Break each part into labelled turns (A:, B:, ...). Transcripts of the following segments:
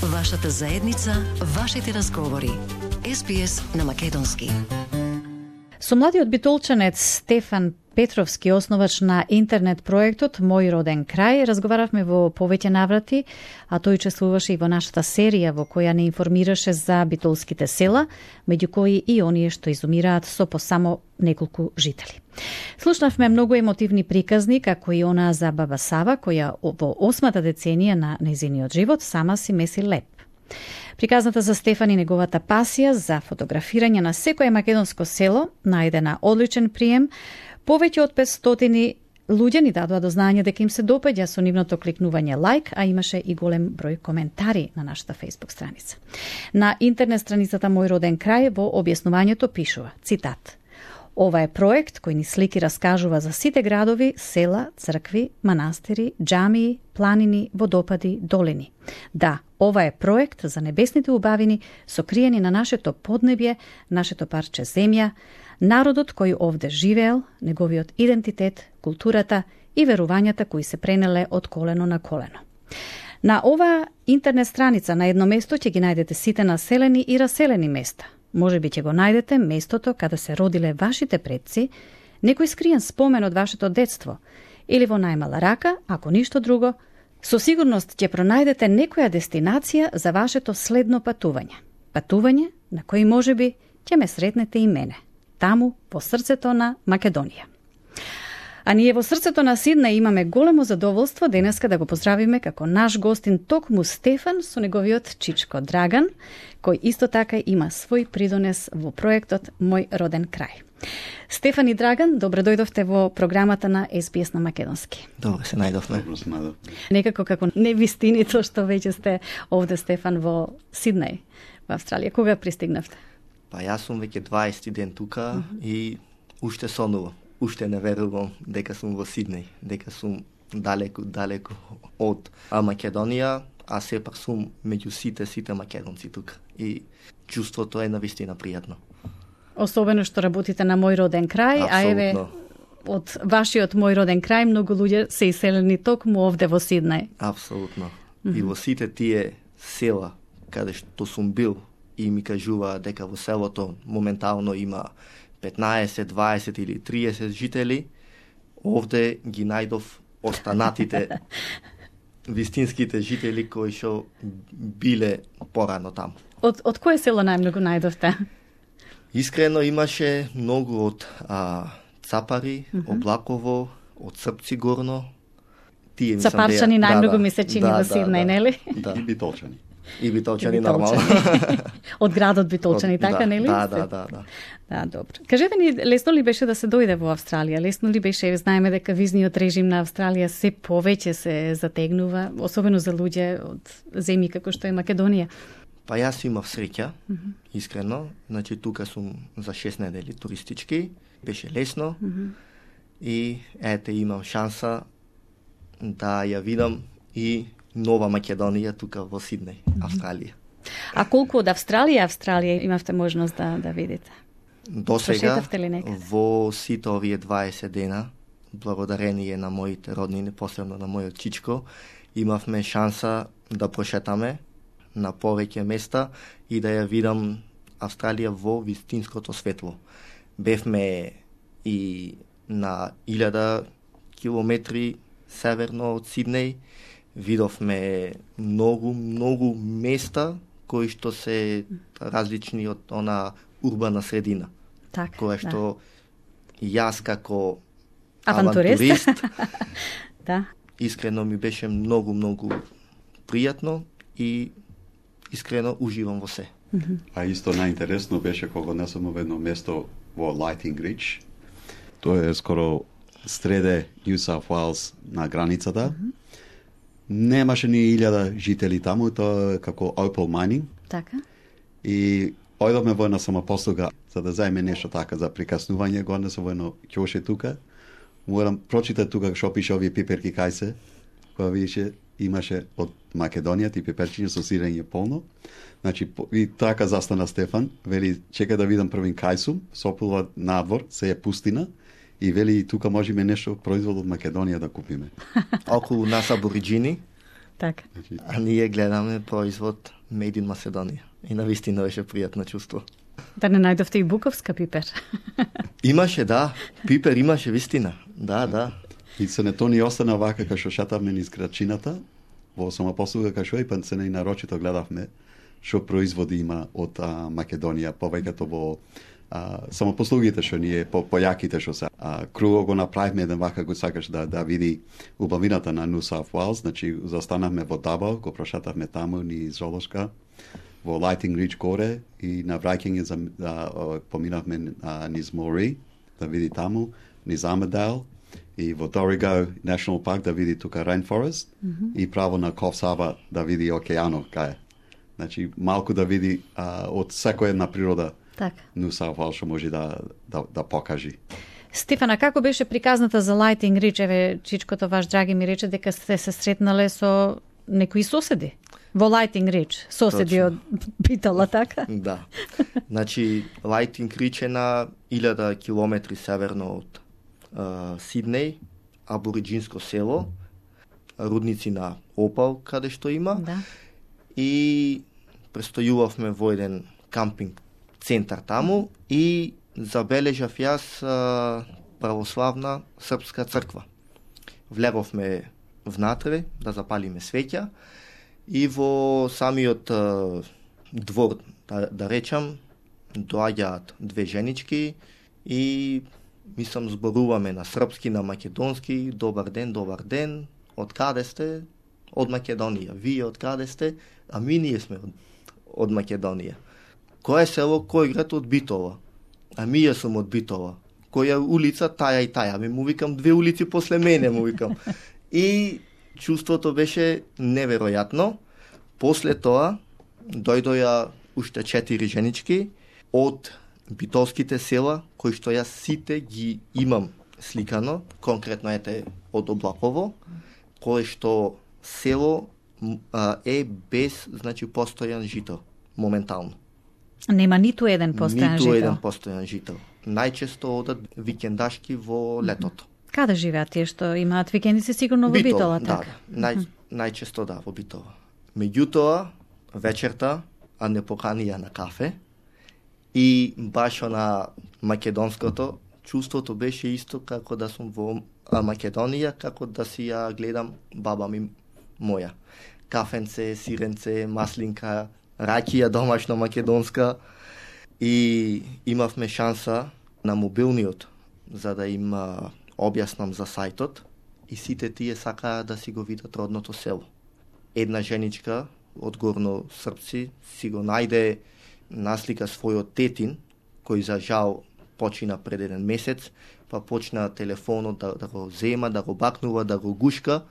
A: Вашата заедница, вашите разговори. SBS на македонски.
B: Со младиот битолчанец Стефан Петровски, основач на интернет проектот Мој роден крај, разговаравме во повеќе наврати, а тој учествуваше и во нашата серија во која не информираше за битолските села, меѓу кои и оние што изумираат со по само неколку жители. Слушнавме многу емотивни приказни, како и она за баба Сава, која во 8-та деценија на нејзиниот живот сама си меси леп. Приказната за Стефан и неговата пасија за фотографирање на секое македонско село најде на одличен прием. Повеќе од 500 луѓе ни дадоа до знање дека им се допаѓа со нивното кликнување лайк, а имаше и голем број коментари на нашата Facebook страница. На интернет страницата Мој роден крај во објаснувањето пишува, цитат: "Ова е проект кој ни слики раскажува за сите градови, села, цркви, манастири, џамии, планини, водопади, долини. Да, ова е проект за небесните убавини сокриени на нашето поднебје, нашето парче земја, народот кој овде живеел, неговиот идентитет, културата и верувањата кои се пренеле од колено на колено." На ова интернет страница на едно место ќе ги најдете сите населени и раселени места. Може би ќе го најдете местото каде се родиле вашите предци, некој скриен спомен од вашето детство, или во најмала рака, ако ништо друго, со сигурност ќе пронајдете некоја дестинација за вашето следно патување. Патување на кој може би ќе ме сретнете и мене, таму во срцето на Македонија. А ние во срцето на Сиднеј имаме големо задоволство денеска да го поздравиме како наш гостин токму Стефан со неговиот чичко Драган, кој исто така има свој придонес во проектот Мој роден крај. Стефан и Драган, добро дојдовте во програмата на SBS на македонски.
C: Добро се најдовме.
B: Некако како невистинито што веќе сте овде, Стефан, во Сиднеј, во Австралија. Кога пристигнавте?
C: Па јас сум веќе 20 ден тука и уште сонувам. Уште не верувам дека сум во Сиднеј, дека сум далеку од Македонија, а сепак сум меѓу сите македонци тука. И чувството е навистина пријатно.
B: Особено што работите на Мој роден крај,
C: Абсолютно.
B: А еве од вашиот Мој роден крај многу луѓе се иселени токму овде во Сиднеј.
C: Апсолутно. И во сите тие села каде што сум бил и ми кажува дека во селото моментално има 15, 20 или 30 жители, овде ги најдов останатите вистинските жители кои што биле порано таму.
B: Од кое село најмногу најдовте?
C: Искрено имаше многу од Цапари, Облаково, од Српци горно. Тие
B: Цапарчани најмногу ми се чини во Сиднеј, нели?
C: Да.
D: И битолчани.
C: И битолчани нормално.
B: Од градот Битолчани, така, нели?
C: Да.
B: Да, добро. Кажете ни, лесно ли беше да се дојде во Австралија? Лесно ли беше? Знаеме дека визниот режим на Австралија се повеќе се затегнува, особено за луѓе од земји како што е Македонија.
C: Па јас имав среќа, искрено. Значи, тука сум за 6 недели туристички. Беше лесно. И ете, имам шанса да ја видам и нова Македонија тука во Сиднеј, Австралија.
B: А колку од Австралија имавте можност да видите?
C: До сега,
B: Прошетавте ли некаде?
C: во сите овие 20 дена, благодарение на моите роднини, посебно на мојот чичко, имавме шанса да прошетаме на повеќе места и да ја видам Австралија во вистинското светло. Бевме и на 1000 километри северно од Сиднеј, видовме многу места кои што се различни од она урбана средина.
B: Так,
C: која што јас како
B: авантурист да.
C: Искрено ми беше многу пријатно и искрено уживам во се.
D: А исто најинтересно беше кога не сум во едно место во Lighting Ridge. Тоа е скоро среде New South Wales на границата. Немаше ни 1000 жители таму, тоа е како opal mining.
B: Така.
D: И ојдовме во една самопослуга за да заеме нешто така за прикаснување, го не се во едно ќоше тука. Морам прочитати тука што пише овие пиперки кај се, која више имаше од Македонија, и пиперчиња со сирење полно. Значи, и така застана Стефан, вели, чека да видам првин кај сум, сопулва надвор, се е пустина, и вели, тука можеме нешто производ од Македонија да купиме.
C: Околу нас абориджини
B: Така.
C: А ние гледаме производ Made in Macedоnia. И навистина беше пријатно чувство.
B: Да не најдовте и буковска пипер.
C: Имаше, да. Пипер имаше, вистина. Да.
D: И се не то ни остана вака кај што шетавме низ градчината, во самопослуга кај што и па се не нарочито гледавме што производи има од Македонија, повеќето во самопослугите што ние појаките што се. Круго го направивме еден вака го сакаш да види убавината на New South Wales, значи застанавме во Дабо, го прошетавме таму низ Золошка, во Lighting Ridge горе и на враќање поминавме низ Мори, да види таму, низ Armidale и во Dorrigo National Park да види тука Rainforest и право на Coffs Harbour да види океанот кај. Значи малку да види од секоја една природа.
B: Така.
D: New South Wales што може да покажи.
B: Стефана, како беше приказната за Lighting Ridge? Еве, чичкото ваш драги ми рече дека сте се сретнале со некои соседи во Lighting Ridge. Соседи од Битола, така?
C: Да. Значи, Lighting Ridge е на 1000 километри северно од Сиднеј, абориджинско село, рудници на опал каде што има.
B: Да.
C: И престојувавме во еден кампинг центар таму и забележав јас православна српска црква. Влеговме внатре да запалиме свеќа и во самиот двор, да речам, доаѓаат две женички и мислам зборуваме на српски, на македонски, добар ден, од каде сте? Од Македонија. Вие од каде сте? А ние сме од Македонија. Кој е село, кој град? Од Битола. А ја сум од Битола. Која улица? Таја и таја. Му викам 2 улици после мене, му викам. И чувството беше неверојатно. После тоа дојдоја уште 4 женички од битолските села, кои што јас сите ги имам сликано, конкретно ете од Облаково, кој што село е без, значи, постојан жител, моментално.
B: Нема ниту еден постојан жител?
C: Ниту еден постојан жител. Најчесто одат викендашки во летото.
B: Каде живеат тие што имаат викендици? Сигурно во Битола, така?
C: Да, најчесто да, во Битола. Меѓутоа, вечерта, не поканија на кафе и баш на македонското, чувството беше исто како да сум во Македонија, како да си ја гледам баба ми моја. Кафенце, сиренце, маслинка, ракија домашна македонска и имавме шанса на мобилниот за да им објаснам за сајтот и сите тие сакаа да си го видат родното село. Една женичка од горно српци си го најде наслика својот тетин, кој за жал почина пред 1 месец, па почна телефонот да го зема, да го бакнува, да го гушка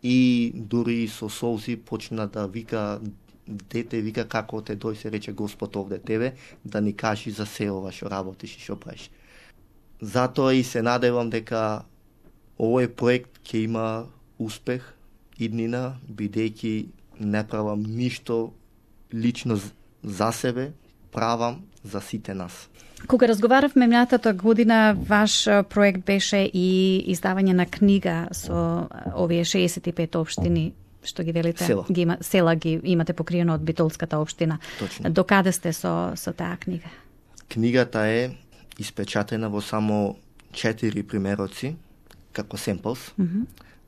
C: и дури со солзи почна да вика, дете, вика како те дој, се рече Господ овде тебе, да ни кажи за се ова што работиш и што правиш. Затоа и се надевам дека овој проект ќе има успех иднина, бидејќи не правам ништо лично за себе, правам за сите нас.
B: Кога разговаравме минатата година, ваш проект беше и издавање на книга со овие 65 општини што ги велите, села ги имате покриено од Битолската општина.
C: Точно.
B: Докаде сте со таа книга?
C: Книгата е испечатена во само 4 примероци, како семплс,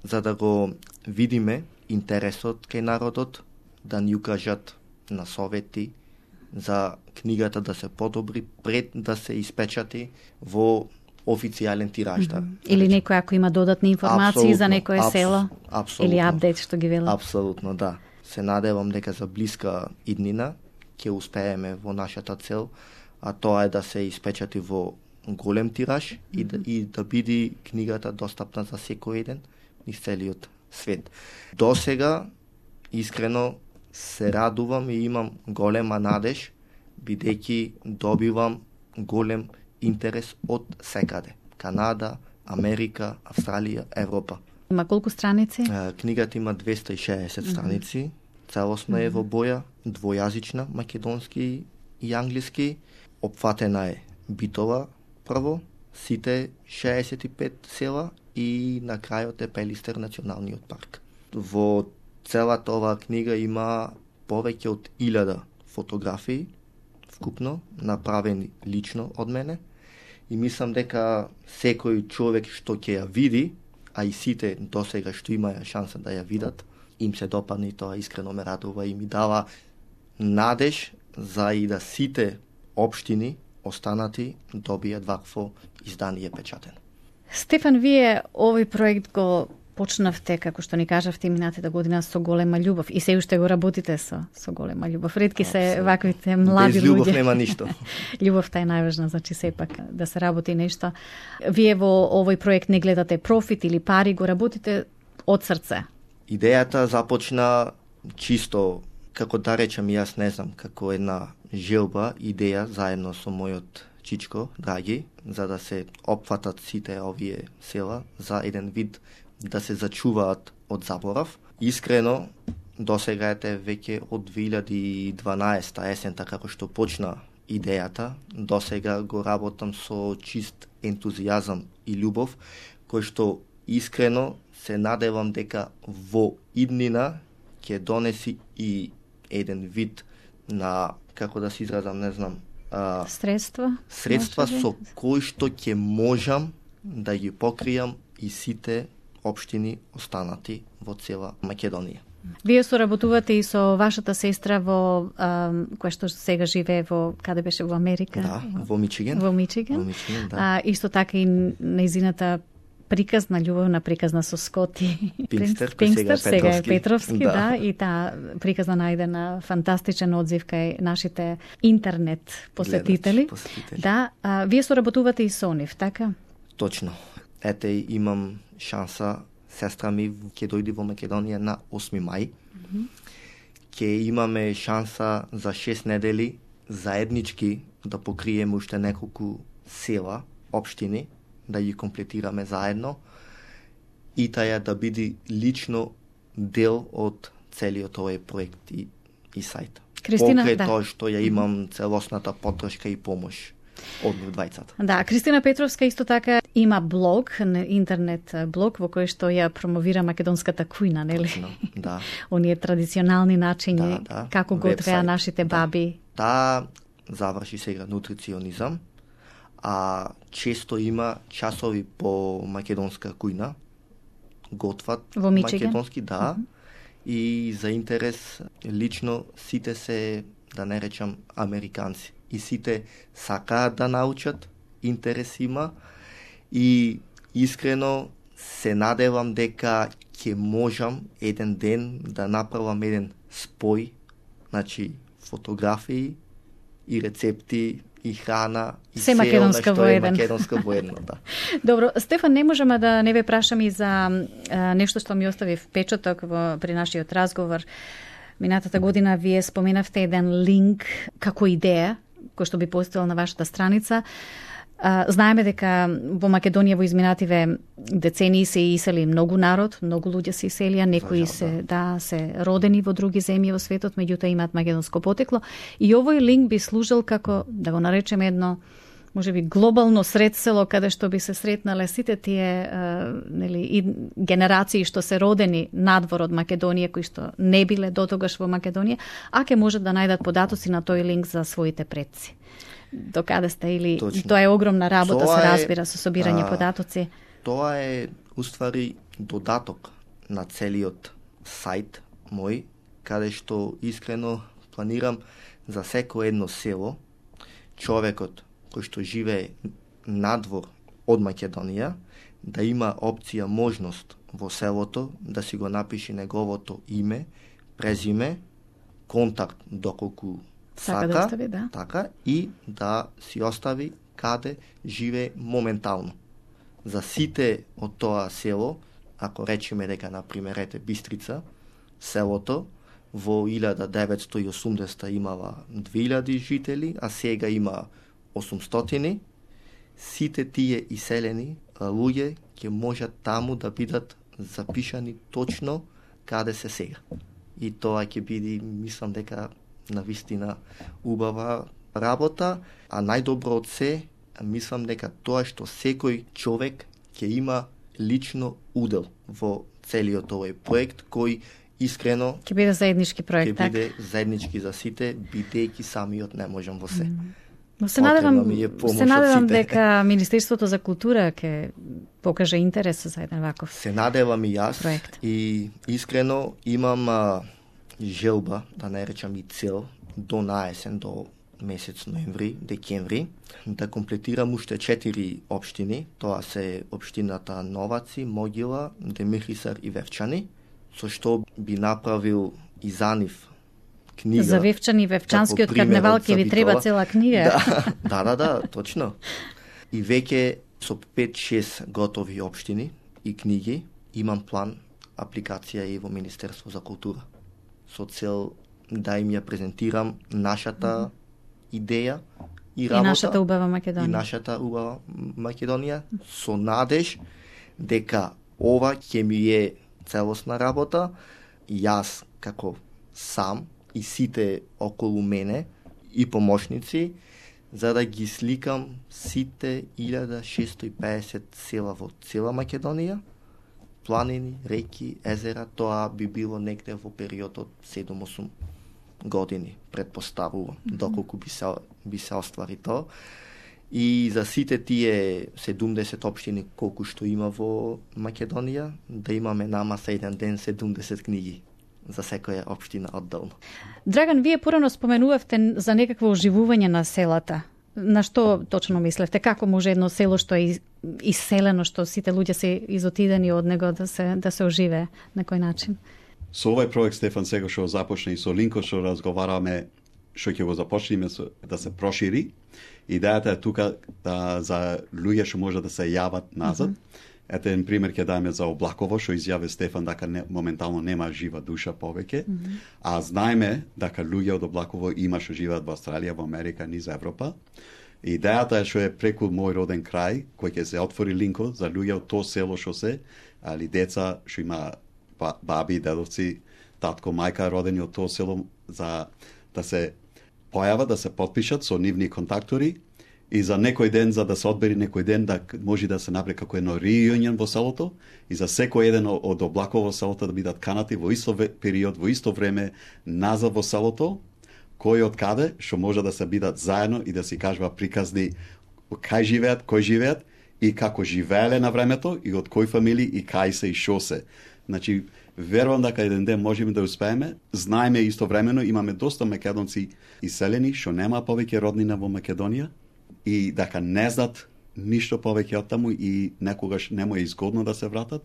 C: за да го видиме интересот кај народот, да ни укажат на совети за книгата да се подобри пред да се испечати во официјален тираж.
B: Или некој ако има додатни информации за некое село? Или апдейт што ги велат?
C: Апсолутно, да. Се надевам дека за блиска иднина ќе успееме во нашата цел, а тоа е да се испечати во голем тираж и да биде книгата достапна за секој еден низ целиот свет. До сега, искрено, се радувам и имам голема надеж, бидејќи добивам голем интерес од секаде. Канада, Америка, Австралија, Европа.
B: Има колку страници?
C: Книгата има 260 страници. Целосно е во боја, двојазична, македонски и англиски. Опфатена е Битола прво, сите 65 села и на крајот е Пелистер националниот парк. Во Целата оваа книга има повеќе од 1000 фотографии, вкупно, направени лично од мене. И мислам дека секој човек што ќе ја види, а и сите досега што имаја шанса да ја видат, им се допадне и тоа искрено ме радува и ми дава надеж за и да сите општини останати добијат вакво издание печатен.
B: Стефан, вие овој проект го почнавте, како што ни кажавте, минатата година со голема љубов и се уште го работите со голема љубов. Ретки се ваквите млади луѓе.
C: Без љубов нема ништо.
B: Љубовта е најважна, значи сепак да се работи нешто. Вие во овој проект не гледате профит или пари, го работите од срце.
C: Идејата започна чисто, како да речем, јас не знам, како една желба, идеја заедно со мојот чичко, Драги, за да се опфатат сите овие села за еден вид да се зачуваат од заборав. Искрено, досега ете веќе од 2012 есента како што почна идејата, досега го работам со чист ентузијазам и љубов, кој што искрено се надевам дека во иднина ќе донеси и еден вид на, како да се изразам, не знам,
B: средства
C: со кои што ќе можам да ги покријам и сите општини останати во цела Македонија.
B: Вие соработувате и со вашата сестра во која што сега живее во каде беше во Америка?
C: Да, во Мичиген.
B: Во Мичиген,
C: да.
B: Исто така и нејзината приказна, љубовна приказна со Скоти
C: Пингстер,
B: сега е Петровски, да, и таа приказна најде на фантастичен одзив кај нашите интернет посетители. Да, вие соработувате и со нив, така?
C: Точно. Ете, имам шанса, сестра ми ќе дојде во Македонија на 8 мај. Ќе имаме шанса за 6 недели заеднички да покриеме уште неколку села, општини, да ги комплетираме заедно и таја да биде лично дел од целиот овој проект и сајт.
B: Кристина,
C: Покрај
B: да.
C: тоа што ја имам целосната поддршка и помош од нив двајцата.
B: Да, Кристина Петровска исто така има блог, интернет блог во кој што ја промовира македонската кујна, нели?
C: Точно, да.
B: Оние традиционални начини
C: Да.
B: како готвеа нашите баби.
C: Да, заврши сега нутриционизам, а често има часови по македонска кујна, готват
B: во Мичиген.
C: Македонски, да, и за интерес лично сите се, да не речам, американци. И сите сакаат да научат, интерес има и искрено се надевам дека ќе можам еден ден да направам еден спој, значи фотографии и рецепти и храна и
B: се македонска во еден.
C: Македонска во едно, да.
B: Добро, Стефан, не можеме да не ве прашам и за нешто што ми остави впечаток при нашиот разговор. Минатата година вие споменавте еден линк како идеја кој што би постоел на вашата страница. Знаеме дека во Македонија во изминативе децении се исели многу народ, многу луѓе се иселија, некои се родени во други земји во светот, меѓутоа имаат македонско потекло. И овој линк би служил како, да го наречеме едно, можеби глобално средсело каде што би се сретнале сите тие и генерации што се родени надвор од Македонија, кои што не биле дотогаш во Македонија, а ке можат да најдат податоци на тој линк за своите предци. До каде сте или
C: Точно.
B: Тоа е огромна работа,
C: Тоа
B: се разбира, со собирање податоци.
C: Тоа е уствари додаток на целиот сајт мој, каде што искрено планирам за секој едно село човекот кој што живее надвор од Македонија да има опција, можност во селото да си го напише неговото име, презиме, контакт доколку сака,
B: да остави, да.
C: Така, и да си остави каде живее моментално. За сите од тоа село, ако речеме дека, например, ете Бистрица, селото во 1980 имала 2000 жители, а сега има 800, сите тие иселени луѓе ќе можат таму да бидат запишани точно каде се сега. И тоа ќе биде, мислам дека, навистина убава работа, а најдобро од се, мислам дека тоа што секој човек ќе има лично удел во целиот овој проект, кој искрено
B: ќе биде заеднички проект,
C: ќе биде заеднички за сите, бидејќи самиот не можам во се.
B: Но се надевам
C: сите.
B: дека Министерството за култура ќе покаже интерес за еден ваков
C: Се надевам и јас
B: проект.
C: И искрено имам желба, да не речам и цел, до наесен, до месец ноември, декември, да комплетирам уште 4 општини. Тоа се општината Новаци, Могила, Демихрисар и Вевчани, со што би направил и за нив книга.
B: За Вевчани, Вевчанскиот карневал ќе ви треба цела книга.
C: Да, точно. И веќе со 5-6 готови општини и книги имам план, апликација и во Министерство за култура. Со цел да им ја презентирам нашата идеја и работа.
B: И нашата убава Македонија.
C: И нашата убава Македонија, со надеж дека ова ќе ми е целосна работа, јас како сам и сите околу мене и помошници, за да ги сликам сите 1650 села во цела Македонија, планини, реки, езера. Тоа би било негде во период од 7-8 години, предпоставувам, доколку би се оствари тоа. И за сите тие 70 општини колку што има во Македонија, да имаме намаса еден ден 70 книги за секоја општина одделно.
B: Драган, вие порано споменувавте за некакво оживување на селата. На што точно мислевте? Како може едно село што е иселено, што сите луѓе се изотидени од него да се оживее на кој начин?
D: Со овој проект, Стефан, сега што започне и со Линко што разговараме, што ќе го започнеме да се прошири. Идејата е тука за луѓе што може да се јават назад. Ете еден пример ќе дадеме за Облаково, што изјави Стефан дека моментално нема жива душа повеќе, а знаеме дека луѓе од Облаково има што живеат во Австралија, во Америка, низ Европа. Идејата е што е преку мој роден крај, кој ќе се отвори Линко за луѓе од тоа село што се, али деца што има баби, дедовци, татко, мајка родени од тоа село, за да се појават, да се потпишат со нивни контактори и за некој ден, за да се одбери некој ден, да може да се направи како едно рејунион во селото и за секој еден од Облаково селото да бидат канати во исто период, во исто време назад во селото, кој од каде, што може да се бидат заедно и да си кажува приказни кај живеат, кој живеат и како живееле на времето и од кој фамилии и кај се и шо се. Значи, верувам дека еден ден можеме да успееме. Знаеме истовремено, имаме доста македонци иселени, што нема повеќе роднина во Македонија и дека не знаат ништо повеќе од таму и некогаш нему е изгодно да се вратат.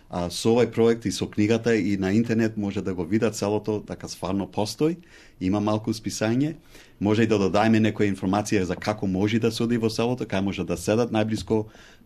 D: А со овој проект и со книгата и на интернет може да го видат целото, дека стварно постои, има малку списање, може и да додајме некоја информација за како може да се оди во селото, кај може да седат најблиско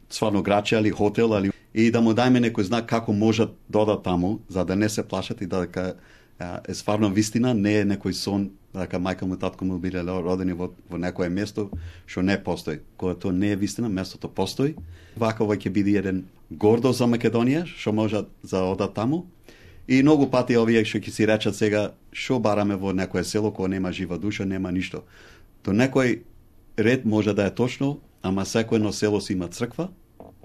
D: стварно граче или хотел, и да му дајме некој знак како можат додат таму, за да не се плашат и дека е стварно вистина, не е некој сон, дека мајка му, татко му биле родени во некое место што не постои. Кога тоа не е вистина, местото постои. Вакова ќе биде еден гордост за Македонија, што може да одат таму. И многу пати овие што ќе си речат сега, што бараме во некое село кога нема жива душа, нема ништо. До некој ред може да е точно, ама секој едно село си има црква,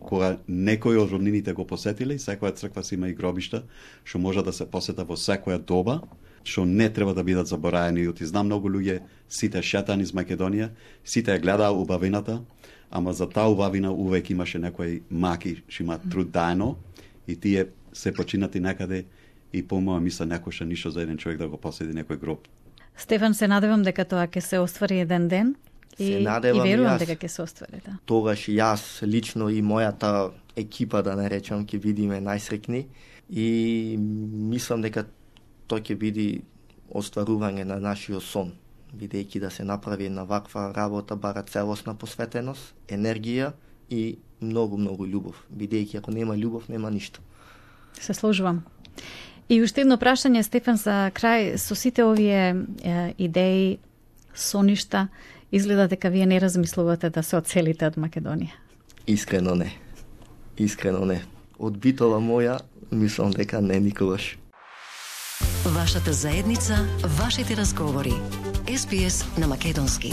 D: кога некој од роднините го посетиле, секоја црква си има и гробишта, што може да се посета во секоја доба, што не треба да бидат забораени. И знам многу луѓе, сите шетани из Македонија, сите ја гледаа убавината, ама за таа убавина увек имаше некои маки што има труд дајно и тие се починати некаде и по моја мисла некој ништо за еден човек да го посети некој гроб.
B: Стефан, се надевам дека тоа ќе се оствари еден ден. И верувам дека ќе се оствари, да.
C: Тогаш јас лично и мојата екипа, да не речам, ќе бидиме најсрекни и мислам дека тоа ќе биде остварување на нашиот сон, бидејќи да се направи една ваква работа бара целосна посветеност, енергија и многу љубов, бидејќи ако нема љубов, нема ништо.
B: Се сложувам. И уште едно прашање, Стефан, за крај, со сите овие идеи, соништа, изгледа дека вие не размислувате да се одселите од Македонија.
C: Искрено не. Од битола моја, мислам дека не никогаш.
A: Вашата заедница, вашите разговори. SBS на македонски.